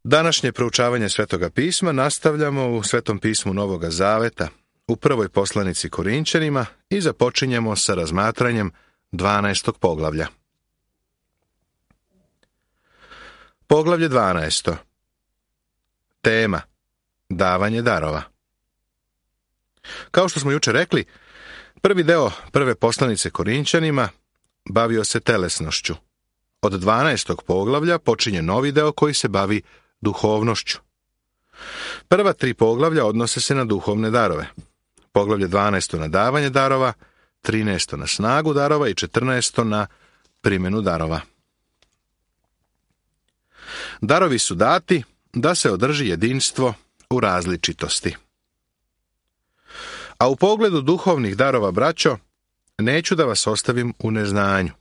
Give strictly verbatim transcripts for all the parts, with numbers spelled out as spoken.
Današnje proučavanje Svetoga pisma nastavljamo u Svetom pismu Novoga Zaveta, u prvoj poslanici Korinćanima i započinjemo sa razmatranjem dvanaestog poglavlja. Poglavlje dvanaesto. Tema: davanje darova. Kao što smo jučer rekli, prvi deo prve poslanice Korinćanima bavio se telesnošću. Od dvanaestog poglavlja počinje novi deo koji se bavi duhovnošću. Prva tri poglavlja odnose se na duhovne darove. Poglavlje dvanaesto na davanje darova, trinaesto na snagu darova i četrnaesto na primjenu darova. Darovi su dati da se održi jedinstvo u različitosti. A u pogledu duhovnih darova, braćo, neću da vas ostavim u neznanju.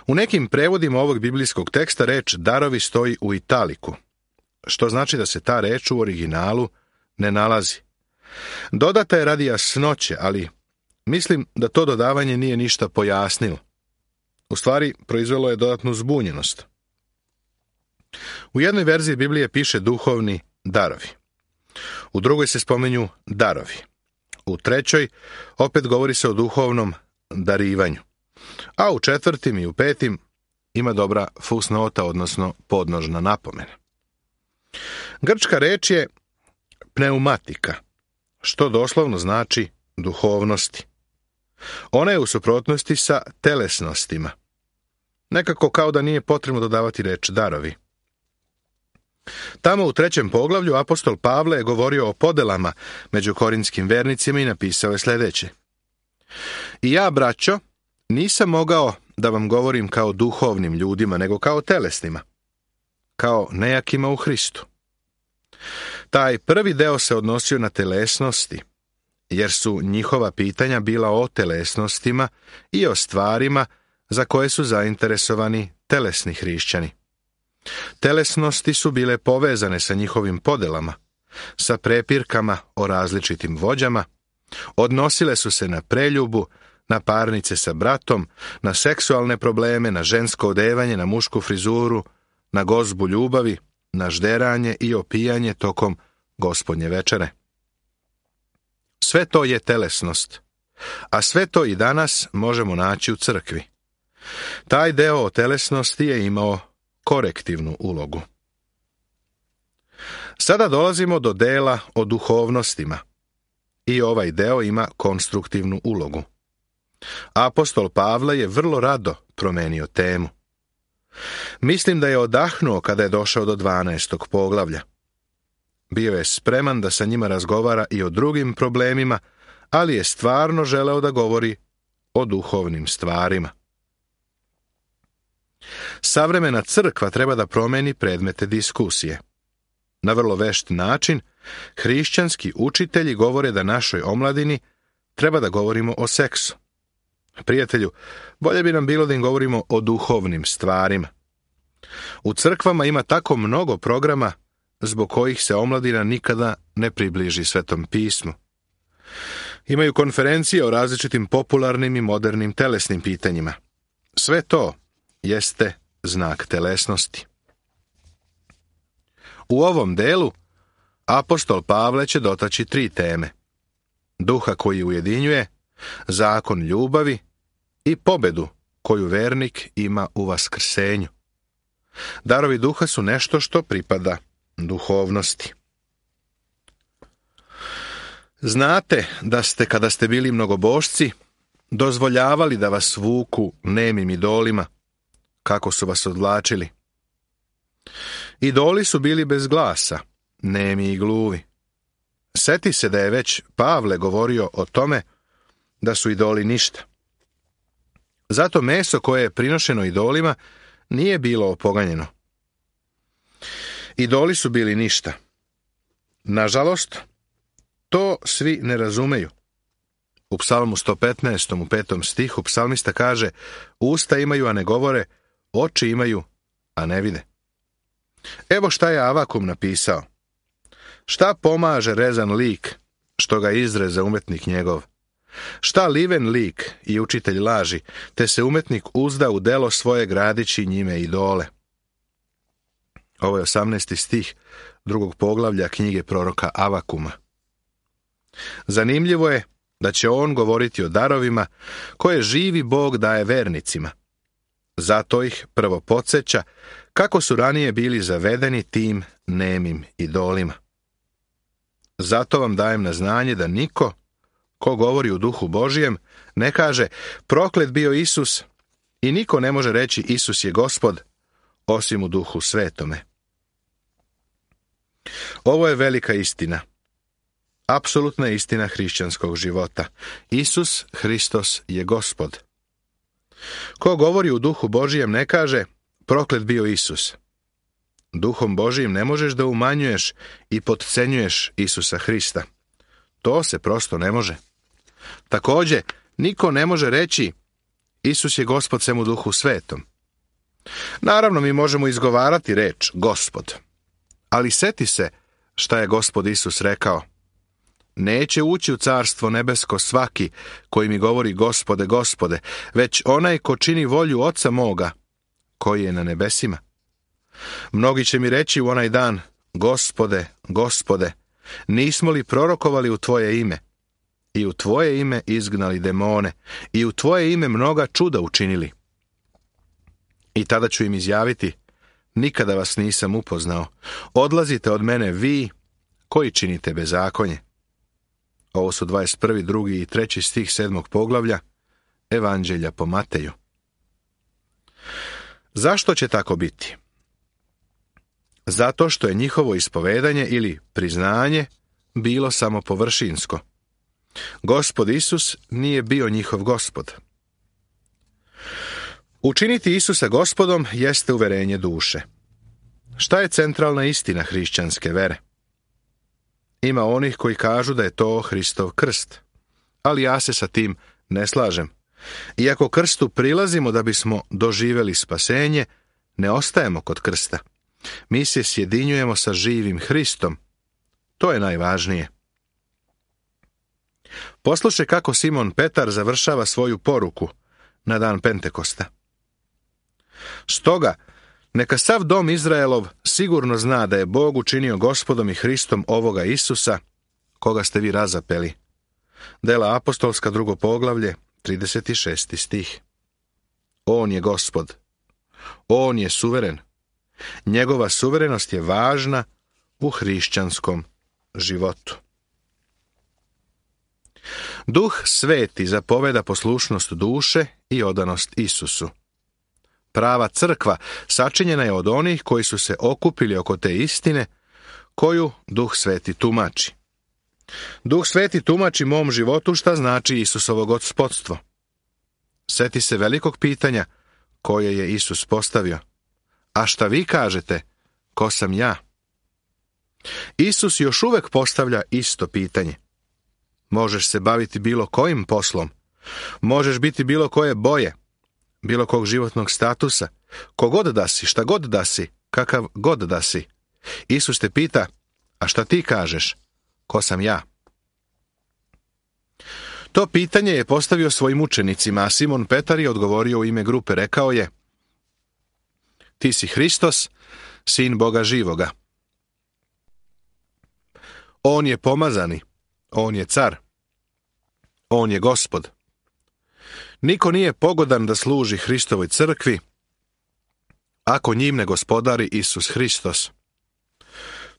U nekim prevodima ovog biblijskog teksta reč darovi stoji u italiku, što znači da se ta reč u originalu ne nalazi. Dodata je radi jasnoće, ali mislim da to dodavanje nije ništa pojasnilo. U stvari, proizvelo je dodatnu zbunjenost. U jednoj verziji Biblije piše duhovni darovi. U drugoj se spominju darovi. U trećoj opet govori se o duhovnom darivanju. A u četvrtim i u petim ima dobra fusnota, odnosno podnožna napomena. Grčka reč je pneumatika, što doslovno znači duhovnosti. Ona je u suprotnosti sa telesnostima. Nekako kao da nije potrebno dodavati reč darovi. Tamo u trećem poglavlju apostol Pavle je govorio o podelama među korintskim vernicima i napisao je sljedeće: I ja, braćo, nisam mogao da vam govorim kao duhovnim ljudima, nego kao telesnima, kao nejakima u Hristu. Taj prvi deo se odnosio na telesnosti, jer su njihova pitanja bila o telesnostima i o stvarima za koje su zainteresovani telesni hrišćani. Telesnosti su bile povezane sa njihovim podelama, sa prepirkama o različitim vođama, odnosile su se na preljubu, na parnice sa bratom, na seksualne probleme, na žensko odevanje, na mušku frizuru, na gozbu ljubavi, na žderanje i opijanje tokom gospodnje večere. Sve to je telesnost, a sve to i danas možemo naći u crkvi. Taj deo o telesnosti je imao korektivnu ulogu. Sada dolazimo do dela o duhovnostima i ovaj deo ima konstruktivnu ulogu. Apostol Pavle je vrlo rado promenio temu. Mislim da je odahnuo kada je došao do dvanaestog poglavlja. Bio je spreman da sa njima razgovara i o drugim problemima, ali je stvarno želeo da govori o duhovnim stvarima. Savremena crkva treba da promeni predmete diskusije. Na vrlo vešt način, hrišćanski učitelji govore da našoj omladini treba da govorimo o seksu. Prijatelju, bolje bi nam bilo da im govorimo o duhovnim stvarima. U crkvama ima tako mnogo programa zbog kojih se omladina nikada ne približi Svetom pismu. Imaju konferencije o različitim popularnim i modernim telesnim pitanjima. Sve to jeste znak telesnosti. U ovom delu apostol Pavle će dotaći tri teme: duha koji ujedinjuje, zakon ljubavi i pobedu koju vernik ima u vaskrsenju. Darovi duha su nešto što pripada duhovnosti. Znate da ste, kada ste bili mnogobošci, dozvoljavali da vas vuku nemim idolima, kako su vas odvlačili. Idoli su bili bez glasa, nemi i gluvi. Seti se da je već Pavle govorio o tome da su idoli ništa. Zato meso koje je prinošeno idolima nije bilo opoganjeno. Idoli su bili ništa. Nažalost, to svi ne razumeju. U psalmu sto petnaestom u petom stihu psalmista kaže: usta imaju, a ne govore, oči imaju, a ne vide. Evo šta je Avakum napisao: šta pomaže rezan lik, što ga izreza umetnik njegov? Šta liven lik i učitelj laži, te se umetnik uzda u delo svoje gradići njime idole? Ovo je osamnaesti stih drugog poglavlja knjige proroka Avakuma. Zanimljivo je da će on govoriti o darovima koje živi Bog daje vernicima. Zato ih prvo podsjeća kako su ranije bili zavedeni tim nemim idolima. Zato vam dajem na znanje da niko ko govori u duhu Božijem ne kaže proklet bio Isus i niko ne može reći Isus je Gospod osim u duhu svetome. Ovo je velika istina. Apsolutna istina hrišćanskog života. Isus Hristos je Gospod. Ko govori u duhu Božijem ne kaže proklet bio Isus. Duhom Božijim ne možeš da umanjuješ i potcenjuješ Isusa Hrista. To se prosto ne može. Također, niko ne može reći Isus je Gospod sem u duhu svetom. Naravno, mi možemo izgovarati reč Gospod. Ali seti se šta je Gospod Isus rekao. Neće ući u carstvo nebesko svaki koji mi govori Gospode, Gospode, već onaj ko čini volju Oca moga, koji je na nebesima. Mnogi će mi reći u onaj dan, Gospode, Gospode, nismo li prorokovali u Tvoje ime? I u Tvoje ime izgnali demone, i u Tvoje ime mnoga čuda učinili. I tada ću im izjaviti, nikada vas nisam upoznao, odlazite od mene vi koji činite bezakonje. Ovo su dvadeset prvi, drugi i treći stih sedmog poglavlja Evanđelja po Mateju. Zašto će tako biti? Zato što je njihovo ispovedanje ili priznanje bilo samo površinsko. Gospod Isus nije bio njihov Gospod. Učiniti Isusa Gospodom jeste uverenje duše. Šta je centralna istina hrišćanske vere? Ima onih koji kažu da je to Hristov krst, ali ja se sa tim ne slažem. Iako krstu prilazimo da bismo doživjeli spasenje, ne ostajemo kod krsta. Mi se sjedinjujemo sa živim Hristom. To je najvažnije. Poslušaj kako Simon Petar završava svoju poruku na dan Pentekosta. Stoga, neka sav dom Izraelov sigurno zna da je Bog učinio Gospodom i Hristom ovoga Isusa, koga ste vi razapeli. Dela apostolska, drugo poglavlje, trideset šesti stih. On je Gospod. On je suveren. Njegova suverenost je važna u hrišćanskom životu. Duh Sveti zapoveda poslušnost duše i odanost Isusu. Prava crkva sačinjena je od onih koji su se okupili oko te istine koju Duh Sveti tumači. Duh Sveti tumači mom životu šta znači Isusovo gospodstvo. Seti se velikog pitanja koje je Isus postavio. A šta vi kažete, ko sam ja? Isus još uvek postavlja isto pitanje. Možeš se baviti bilo kojim poslom. Možeš biti bilo koje boje, bilo kog životnog statusa, kogod da si, šta god da si, kakav god da si. Isus te pita, a šta ti kažeš, ko sam ja? To pitanje je postavio svojim učenicima, a Simon Petar je odgovorio u ime grupe, rekao je, ti si Hristos, sin Boga živoga. On je pomazani, on je car, on je Gospod. Niko nije pogodan da služi Hristovoj crkvi, ako njim ne gospodari Isus Hristos.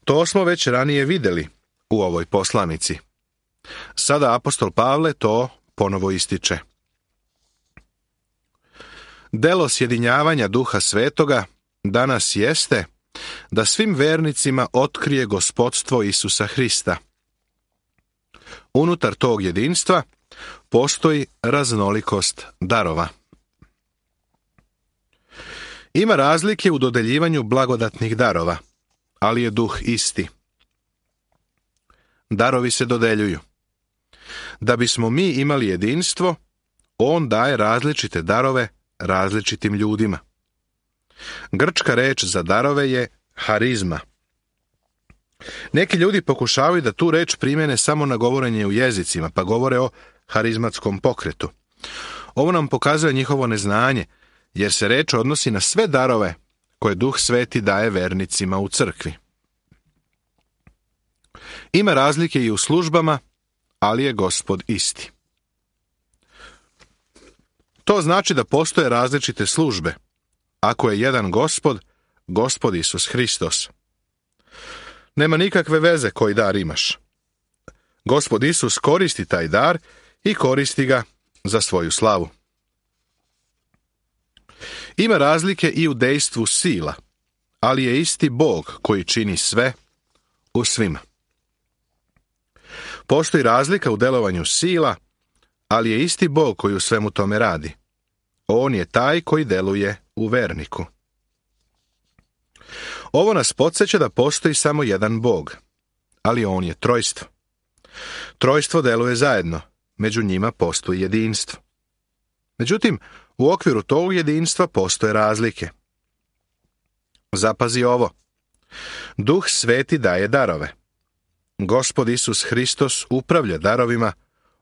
To smo već ranije vidjeli u ovoj poslanici. Sada apostol Pavle to ponovo ističe. Delo sjedinjavanja Duha Svetoga danas jeste da svim vernicima otkrije gospodstvo Isusa Hrista. Unutar tog jedinstva postoji raznolikost darova. Ima razlike u dodeljivanju blagodatnih darova, ali je duh isti. Darovi se dodeljuju. Da bismo mi imali jedinstvo, on daje različite darove različitim ljudima. Grčka reč za darove je harizma. Neki ljudi pokušavaju da tu reč primjene samo na govorenje u jezicima, pa govore o harizmatskom pokretu. Ovo nam pokazuje njihovo neznanje, jer se reč odnosi na sve darove koje Duh Sveti daje vernicima u crkvi. Ima razlike i u službama, ali je Gospod isti. To znači da postoje različite službe. Ako je jedan Gospod, Gospod Isus Hristos. Nema nikakve veze koji dar imaš. Gospod Isus koristi taj dar i koristi ga za svoju slavu. Ima razlike i u dejstvu sila, ali je isti Bog koji čini sve u svima. Postoji razlika u delovanju sila, ali je isti Bog koji u svemu tome radi. On je taj koji deluje u verniku. Ovo nas podsjeća da postoji samo jedan Bog, ali on je trojstvo. Trojstvo deluje zajedno, među njima postoji jedinstvo. Međutim, u okviru tog jedinstva postoje razlike. Zapazi ovo. Duh Sveti daje darove. Gospod Isus Hristos upravlja darovima,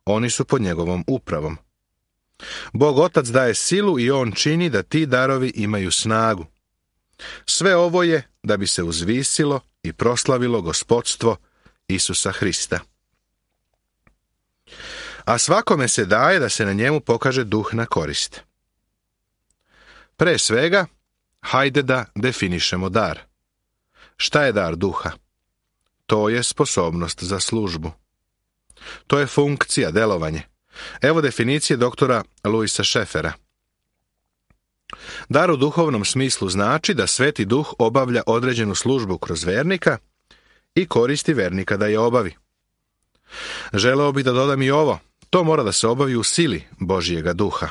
oni su pod njegovom upravom. Bog Otac daje silu i on čini da ti darovi imaju snagu. Sve ovo je da bi se uzvisilo i proslavilo gospodstvo Isusa Hrista. A svakome se daje da se na njemu pokaže duh na korist. Pre svega, hajde da definišemo dar. Šta je dar duha? To je sposobnost za službu. To je funkcija, delovanje. Evo definicije doktora Louisa Scheffera. Dar u duhovnom smislu znači da Sveti Duh obavlja određenu službu kroz vernika i koristi vernika da je obavi. Želeo bi da dodam i ovo. To mora da se obavi u sili Božjega Duha.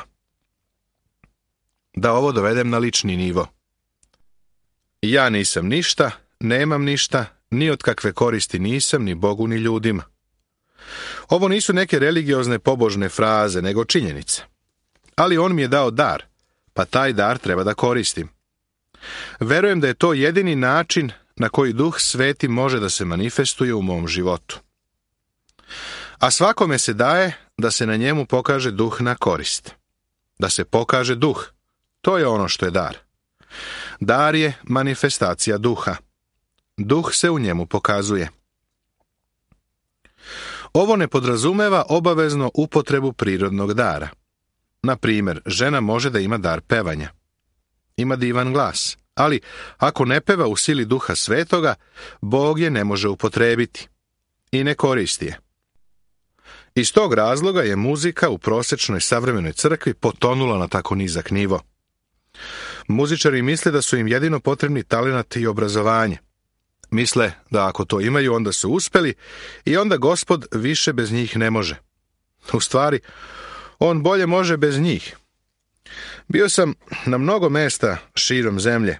Da ovo dovedem na lični nivo. Ja nisam ništa, nemam ništa, ni od kakve koristi nisam, ni Bogu, ni ljudima. Ovo nisu neke religiozne pobožne fraze, nego činjenice. Ali on mi je dao dar, pa taj dar treba da koristim. Verujem da je to jedini način na koji Duh Sveti može da se manifestuje u mom životu. A svakome se daje da se na njemu pokaže duh na korist. Da se pokaže duh. To je ono što je dar. Dar je manifestacija duha. Duh se u njemu pokazuje. Ovo ne podrazumeva obavezno upotrebu prirodnog dara. Na primjer, žena može da ima dar pevanja. Ima divan glas, ali ako ne peva u sili Duha Svetoga, Bog je ne može upotrebiti i ne koristi je. Iz tog razloga je muzika u prosječnoj savremenoj crkvi potonula na tako nizak nivo. Muzičari misle da su im jedino potrebni talenat i obrazovanje. Misle da ako to imaju, onda su uspeli i onda Gospod više bez njih ne može. U stvari, on bolje može bez njih. Bio sam na mnogo mesta širom zemlje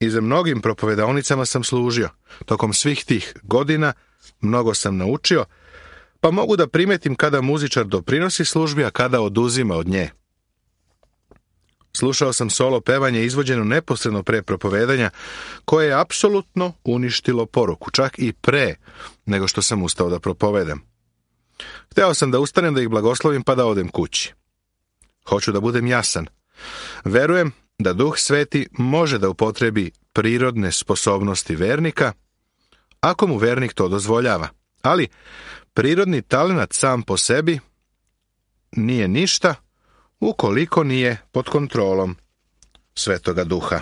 i za mnogim propovedaonicama sam služio. Tokom svih tih godina mnogo sam naučio, pa mogu da primetim kada muzičar doprinosi službi, a kada oduzima od nje. Slušao sam solo pevanje izvođeno neposredno pre propovedanja, koje je apsolutno uništilo poruku, čak i pre nego što sam ustao da propovedam. Hteo sam da ustanem da ih blagoslovim pa da odem kući. Hoću da budem jasan. Verujem da Duh Sveti može da upotrebi prirodne sposobnosti vernika, ako mu vernik to dozvoljava. Ali prirodni talenat sam po sebi nije ništa ukoliko nije pod kontrolom Svetoga Duha.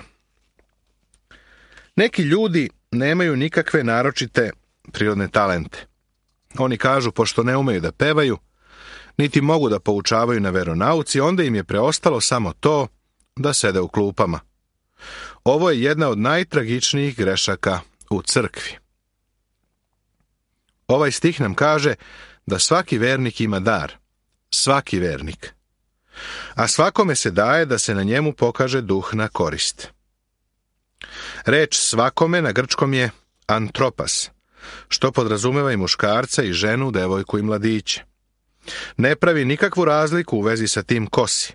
Neki ljudi nemaju nikakve naročite prirodne talente. Oni kažu, pošto ne umeju da pevaju, niti mogu da poučavaju na veronauci, onda im je preostalo samo to da sede u klupama. Ovo je jedna od najtragičnijih grešaka u crkvi. Ovaj stih nam kaže da svaki vernik ima dar. Svaki vernik. A svakome se daje da se na njemu pokaže duh na korist. Reč svakome na grčkom je antropas, što podrazumeva i muškarca i ženu, devojku i mladiće. Ne pravi nikakvu razliku u vezi sa tim ko si.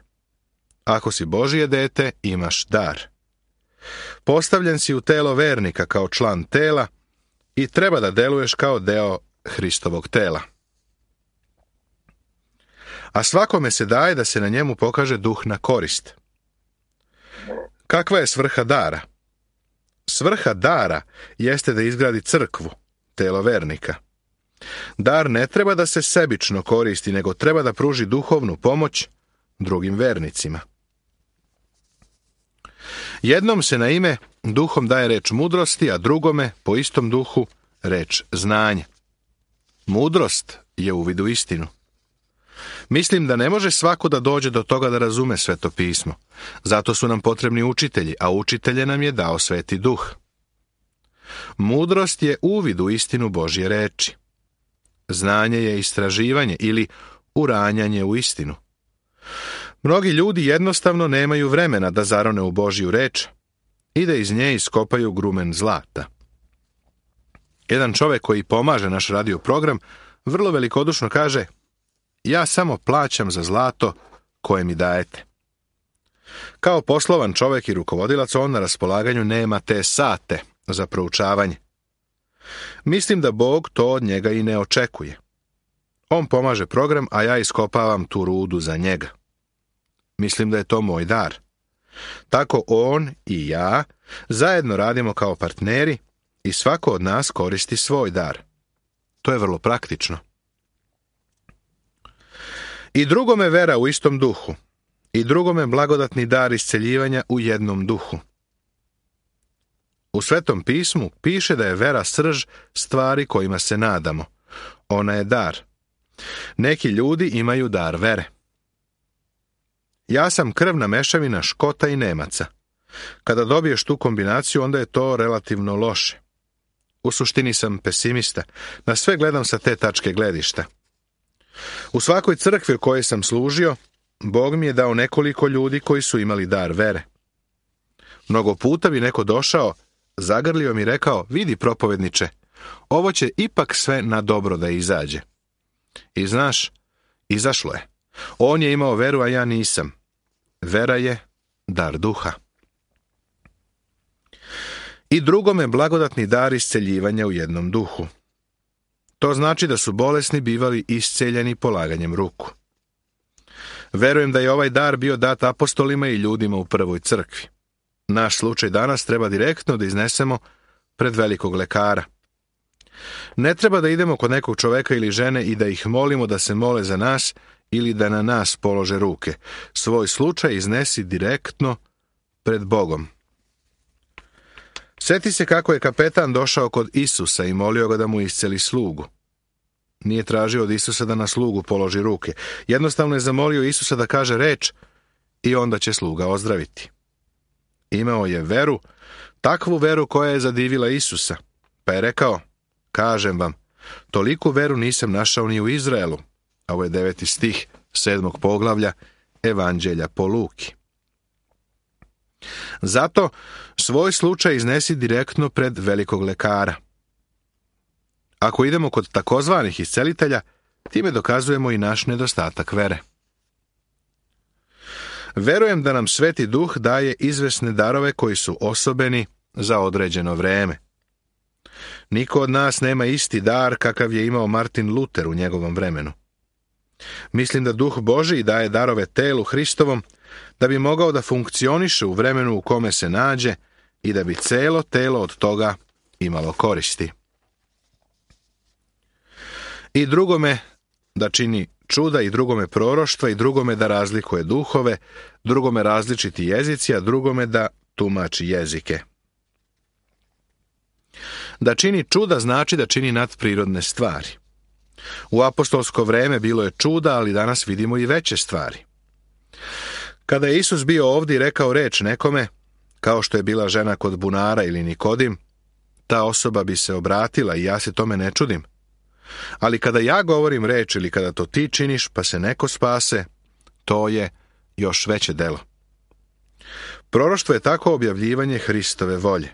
Ako si Božje dete, imaš dar. Postavljen si u telo vernika kao član tela i treba da deluješ kao deo Hristovog tela. A svakome se daje da se na njemu pokaže duh na korist. Kakva je svrha dara? Svrha dara jeste da izgradi crkvu, telo vernika. Dar ne treba da se sebično koristi, nego treba da pruži duhovnu pomoć drugim vernicima. Jednom se na ime duhom daje reč mudrosti, a drugome, po istom duhu, reč znanje. Mudrost je uvid u istinu. Mislim da ne može svako da dođe do toga da razume Sveto pismo. Zato su nam potrebni učitelji, a učitelje nam je dao Sveti Duh. Mudrost je uvid u istinu Božje reči. Znanje je istraživanje ili uranjanje u istinu. Mnogi ljudi jednostavno nemaju vremena da zarone u Božju reč i da iz nje iskopaju grumen zlata. Jedan čovjek koji pomaže naš radio program vrlo velikodušno kaže: ja samo plaćam za zlato koje mi dajete. Kao poslovan čovjek i rukovodilac on na raspolaganju nema te sate za proučavanje. Mislim da Bog to od njega i ne očekuje. On pomaže program, a ja iskopavam tu rudu za njega. Mislim da je to moj dar. Tako on i ja zajedno radimo kao partneri i svako od nas koristi svoj dar. To je vrlo praktično. I drugome vera u istom duhu, i drugome blagodatni dar isceljivanja u jednom duhu. U Svetom pismu piše da je vera srž stvari kojima se nadamo. Ona je dar. Neki ljudi imaju dar vere. Ja sam krvna mešavina Škota i Nemaca. Kada dobiješ tu kombinaciju, onda je to relativno loše. U suštini sam pesimista. Na sve gledam sa te tačke gledišta. U svakoj crkvi u kojoj sam služio, Bog mi je dao nekoliko ljudi koji su imali dar vere. Mnogo puta bi neko došao, zagrlio mi rekao: vidi, propovedniče, ovo će ipak sve na dobro da izađe. I znaš, izašlo je. On je imao veru, a ja nisam. Vera je dar duha. I drugome blagodatni dar isceljivanja u jednom duhu. To znači da su bolesni bivali isceljeni polaganjem ruku. Verujem da je ovaj dar bio dat apostolima i ljudima u prvoj crkvi. Naš slučaj danas treba direktno da iznesemo pred velikog lekara. Ne treba da idemo kod nekog čoveka ili žene i da ih molimo da se mole za nas ili da na nas polože ruke. Svoj slučaj iznesi direktno pred Bogom. Sjeti se kako je kapetan došao kod Isusa i molio ga da mu isceli slugu. Nije tražio od Isusa da na slugu položi ruke. Jednostavno je zamolio Isusa da kaže reč i onda će sluga ozdraviti. Imao je veru, takvu veru koja je zadivila Isusa, pa je rekao: kažem vam, toliku veru nisam našao ni u Izraelu. A ovo je deveti stih sedmog poglavlja Evanđelja po Luki. Zato svoj slučaj iznesi direktno pred velikog lekara. Ako idemo kod takozvanih iscelitelja, time dokazujemo i naš nedostatak vere. Verujem da nam Sveti Duh daje izvesne darove koji su osobeni za određeno vreme. Niko od nas nema isti dar kakav je imao Martin Luter u njegovom vremenu. Mislim da Duh Božji daje darove telu Hristovom da bi mogao da funkcioniše u vremenu u kome se nađe i da bi celo telo od toga imalo koristi. I drugome da čini čuda, i drugome proroštva, i drugome da razlikuje duhove, drugome različiti jezici, a drugome da tumači jezike. Da čini čuda znači da čini nadprirodne stvari. U apostolsko vreme bilo je čuda, ali danas vidimo i veće stvari. Kada je Isus bio ovdje i rekao reč nekome, kao što je bila žena kod bunara ili Nikodim, ta osoba bi se obratila i ja se tome ne čudim. Ali kada ja govorim reč ili kada to ti činiš pa se neko spase, to je još veće delo. Proroštvo je tako objavljivanje Hristove volje.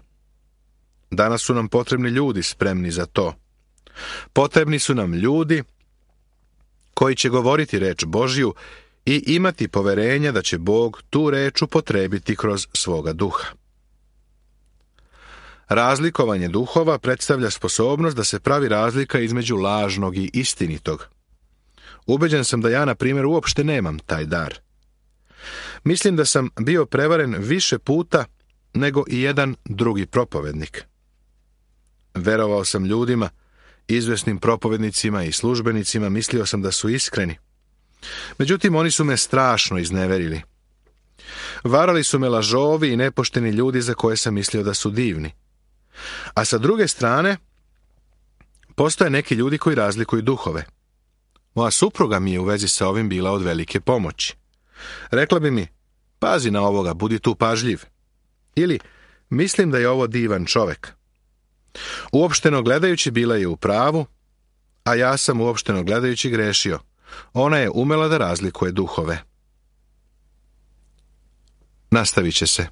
Danas su nam potrebni ljudi spremni za to. Potrebni su nam ljudi koji će govoriti reč Božju i imati poverenja da će Bog tu reč upotrebiti kroz svoga duha. Razlikovanje duhova predstavlja sposobnost da se pravi razlika između lažnog i istinitog. Ubeđen sam da ja, na primjer, uopšte nemam taj dar. Mislim da sam bio prevaren više puta nego i jedan drugi propovednik. Verovao sam ljudima, izvesnim propovednicima i službenicima, mislio sam da su iskreni. Međutim, oni su me strašno izneverili. Varali su me lažovi i nepošteni ljudi za koje sam mislio da su divni. A sa druge strane, postoje neki ljudi koji razlikuju duhove. Moja supruga mi je u vezi sa ovim bila od velike pomoći. Rekla bi mi, pazi na ovoga, budi tu pažljiv. Ili, mislim da je ovo divan čovek. Uopšteno gledajući bila je u pravu, a ja sam uopšteno gledajući grešio. Ona je umela da razlikuje duhove. Nastavit će se.